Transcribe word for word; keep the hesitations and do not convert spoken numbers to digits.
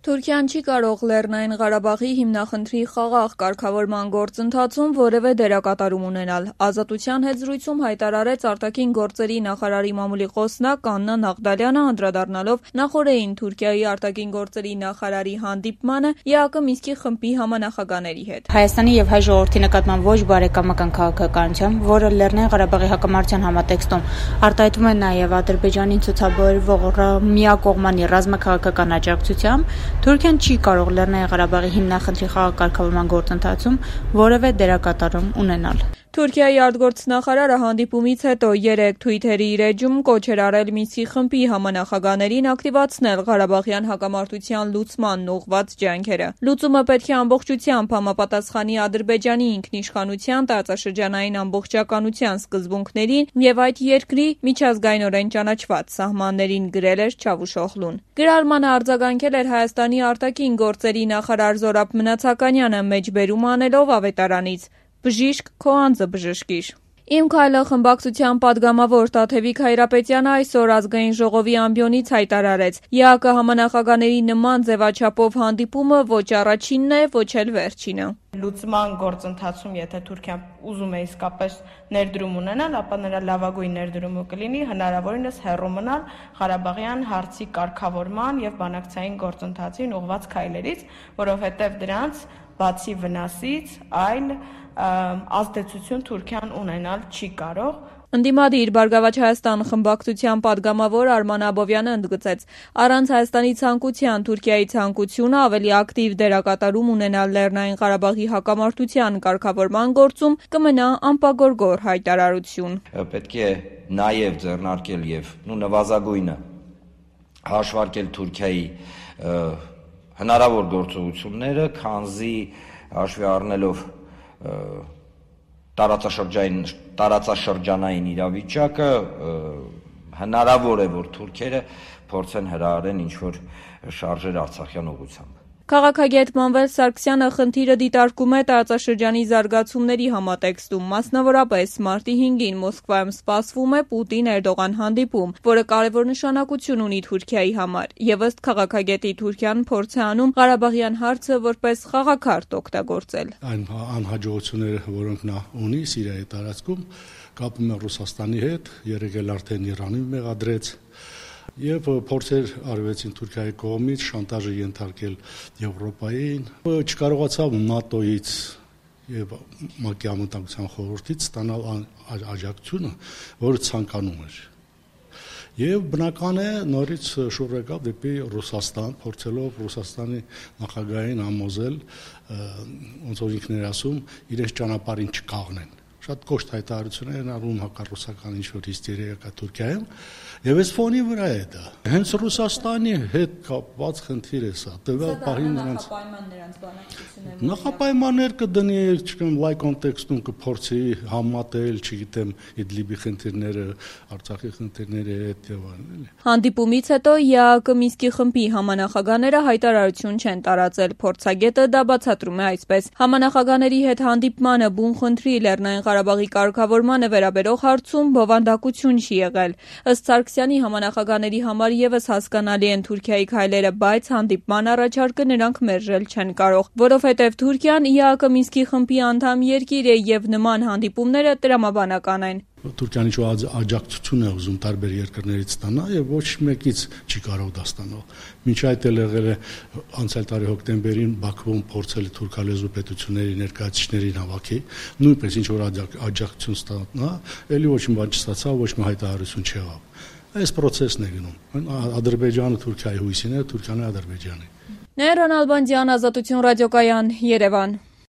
Թուրքիան չի կարող Լեռնային Ղարաբաղի հիմնախնդրի խաղաղ կարգավորման գործընթացում որևէ դերակատարում ունենալ։ Ազատության հետ զրույցում հայտարարեց արտաքին գործերի նախարարի մամուլի խոսնակ Աննա Նաղդալյանը, անդրադառնալով նախօրեին Թուրքիայի արտաքին գործերի նախարարի հանդիպմանը ԵԱԿ Մինսկի խմբի համանախագահների հետ։ Հայաստանի եւ հայ ժողովրդի նկատմամբ ոչ բարեկամական քաղաքականությամբ, որը Լեռնային Ղարաբաղի հակամարտության համատեքստում արտահայտվում է նաեւ Ադրբեջանին ցուցաբերվող միակողմանի ռազմաքաղաքական աջակցությամբ, Թուրքիան չի կարող Լեռնային Ղարաբաղի հիմնախնդրի խաղաղ կարգավորման գործընթացում որևէ դերակատարում ունենալ։ Թուրքիայի արտգործնախարարը հանդիպումից հետո երեկ Թվիթերի իր էջում կոչ էր արել Մինսկի խմբի համանախագահներին ակտիվացնել Ղարաբաղյան հակամարտության լուծմանն ուղղված ջանքերը։ Լուծումը պետք է ամբողջությամբ համապատասխանի Ադրբեջանի ինքնիշխանության, տարածաշրջանային ամբողջականության սկզբունքներին եւ այդ երկրի միջազգայինորեն ճանաչված սահմաններին, գրել էր Չավուշօղլուն։ Գրառմանը արձագանքել էր Հայաստանի արտաքին գործերի նախարար Զորաբ Մնացականյանը, մեջբերում անելով ավետարանից. «Բժիշկ, քո անձը բժշկիր»։ «Իմ քայլը» խմբակցության падգամավոր Տաթևիկ Հայրապետյանը այսօր Ազգային ժողովի ամբիոնից հայտարարեց. ԵԱԿ համանախագահների նման ձևաչափով հանդիպումը ոչ առաջինն է, ոչ էլ վերջինը։ Լուծման գործընթացում, եթե Թուրքիան ուզում է իսկապես ներդրում ունենալ, ապա նրա լավագույն ներդրումը կլինի հնարավորինս հեռու մնալ Ղարաբաղյան հարցի կարգավորման եւ բանակցային գործընթացին ուղղված քայլերից, որովհետեւ դրանց բացի վնասից այլ ազդեցություն Թուրքիան ունենալ չի կարող։ Ընդդիմադիր Բարգավաճ Հայաստան խմբակցության падգամավոր Արման Աբովյանը ընդգծեց. առանց Հայաստանի ցանկության Թուրքիայի ցանկությունը ավելի ակտիվ դերակատարում ունենալ Լեռնային Ղարաբաղի հակամարտության կարգավորման գործում կմնա անպագորգոր հայտարարություն։ Պետք է նաև ձեռնարկել եւ նվազագույնը հաշվարկել Թուրքիայի հնարավոր գործողությունները, քանզի հաշվի առնելով տարածաշրջանային տարածաշրջանային իրավիճակը հնարավոր է, որ թուրքերը փորձեն հրահարեն ինչ-որ շարժեր Արցախյան ուղղությամբ։ Քաղաքագետ Մանվել Սարգսյանը խնդիրը դիտարկում է տարածաշրջանի զարգացումների համատեքստում, մասնավորապես մարտի հինգին Մոսկվայում սպասվում է Պուտին-Էրդողան հանդիպում, որը կարևոր նշանակություն ունի Թուրքիայի համար, եւ ըստ քաղաքագետի Թուրքիան փորձ է անում Ղարաբաղյան հարցը որպես խաղաքարտ օգտագործել։ Այն անհաջողությունները, որոնք նա ունի Սիրիայի տարածքում, կապում է Ռուսաստանի հետ, երեք էլ արդեն Իրանին մեղադրեց, եւ փորձեր արվեցին Թուրքիայի կողմից շանտաժը ենթարկել Եվրոպային, չկարողացավ ՆԱՏՕ-ից եւ ՄԱԿ-ի անվտանգության խորհրդից ստանալ աջակցությունը, որը ցանկանում էր։ Եվ բնական է նորից շուռ եկավ դեպի Ռուսաստան, փորձելով Ռուսաստանի նախագահային համոզել, ոնց որ ինքն էր ասում, իրենց ճանապարհին չկաղնեն։ Շատ կոշտ հայտարարություններ են արվում հակառուսական ինչ-որ հիստերիա կա Թուրքիայում, եւ այս ֆոնի վրա է դա։ Հենց Ռուսաստանի հետ կապված խնդիր է սա։ Տվյալ պահին նրանց նախապայմաններ կդնի, չգիտեմ, լայ կոնտեքստում կփորձի համատել, չգիտեմ, Իդլիբի խնդիրները, Արցախի խնդիրների հետ եւ այլն։ Հանդիպումից հետո ԵԱԿ Մինսկի խմբի համանախագահները հայտարարություն չեն տարածել։ Փորձագետը դա բացատրում է այսպես. համանախագահների հետ հանդիպմանը բուն խնդրի Լեռնային Ղարաբաղի կարգավորմանը վերաբերող հարցում բովանդակություն չի եղել։ Ըստ Սարգսյանի համանախագահների համար եւս հասկանալի են Թուրքիայի քայլերը, բայց հանդիպման առաջարկը նրանք մերժել չեն կարող, որովհետեւ Թուրքիան ԵԱԿ Մինսկի խմբի անդամ երկիր է եւ նման հանդիպումները տրամաբանական են։ Թուրքիան ինչ-որ աջակցություն է ուզում տարբեր երկրներից ստանալ եւ ոչ մեկից չի կարող դա ստանալ։ Մինչ այդ էլ եղել է անցյալ տարի հոկտեմբերին Բաքվում փորձել թուրքալեզու պետությունների ներկայացուցիչներին հավաքի, նույնպես ինչ-որ աջակցություն ստանա, ելի ոչ մի բան չստացավ, ոչ մի հայտարարություն չեղավ։ Այս process-ն է գնում։ Ադրբեջանը Թուրքիայի հույսին է, Թուրքիան Ադրբեջանի։ Նայիրան Ալբանդյան, Ազատություն ռադիոկայան, Երևան։